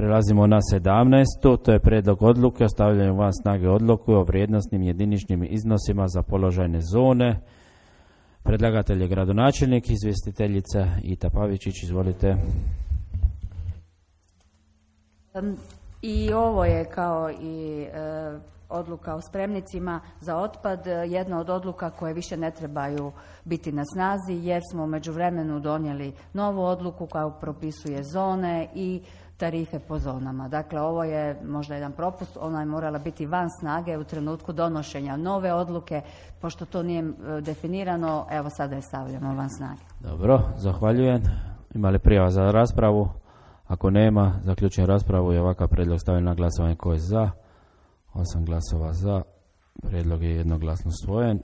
Prelazimo na 17. To je prijedlog odluke o stavljanju van snage odluke o vrijednosnim jediničnim iznosima za položajne zone. Predlagatelj je gradonačelnik, izvjestiteljica Ita Pavičić, izvolite. I ovo je kao i odluka o spremnicima za otpad, jedna od odluka koje više ne trebaju biti na snazi jer smo u međuvremenu donijeli novu odluku koja propisuje zone i tarife po zonama. Dakle, ovo je možda jedan propust, ona je morala biti van snage u trenutku donošenja nove odluke, pošto to nije definirano, evo sada je stavljamo van snage. Dobro, zahvaljujem. Ima li prijava za raspravu? Ako nema, zaključujem raspravu i ovakav prijedlog stavljam na glasovanje. Ko je za? 8 glasova za. Prijedlog je jednoglasno usvojen.